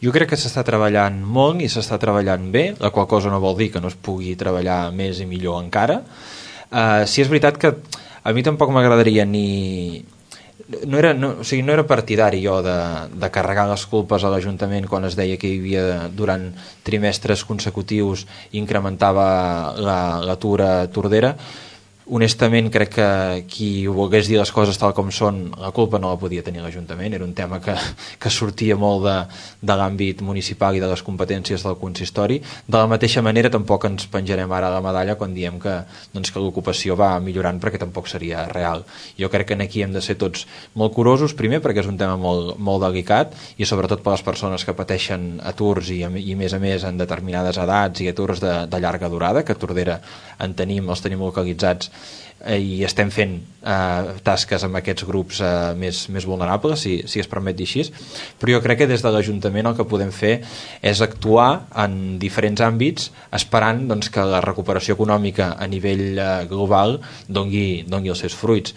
Jo crec que s'està treballant molt i s'està treballant bé, la qual cosa no vol dir que no es pugui treballar més i millor encara. Sí és veritat que a mi tampoc m'agradaria ni... o sigui, no era partidari jo de carregar les culpes a l'Ajuntament quan es deia que hi havia durant trimestres consecutius incrementava l'atur a Tordera. Honestament crec que qui volgués dir les coses tal com són, la culpa no la podia tenir l'Ajuntament, era un tema que sortia molt de l'àmbit municipal i de les competències del consistori. De la mateixa manera tampoc ens penjarem ara la medalla quan diem que l'ocupació va millorant, perquè tampoc seria real. Jo crec que aquí hem de ser tots molt curosos, primer perquè és un tema molt, molt delicat, i sobretot per les persones que pateixen aturs i a més en determinades edats i aturs de llarga durada, que a Tordera els tenim localitzats, i estem fent tasques amb aquests grups més vulnerables, si es permet dir així. Però jo crec que des de l'Ajuntament el que podem fer és actuar en diferents àmbits, esperant que la recuperació econòmica a nivell global dongui els seus fruits.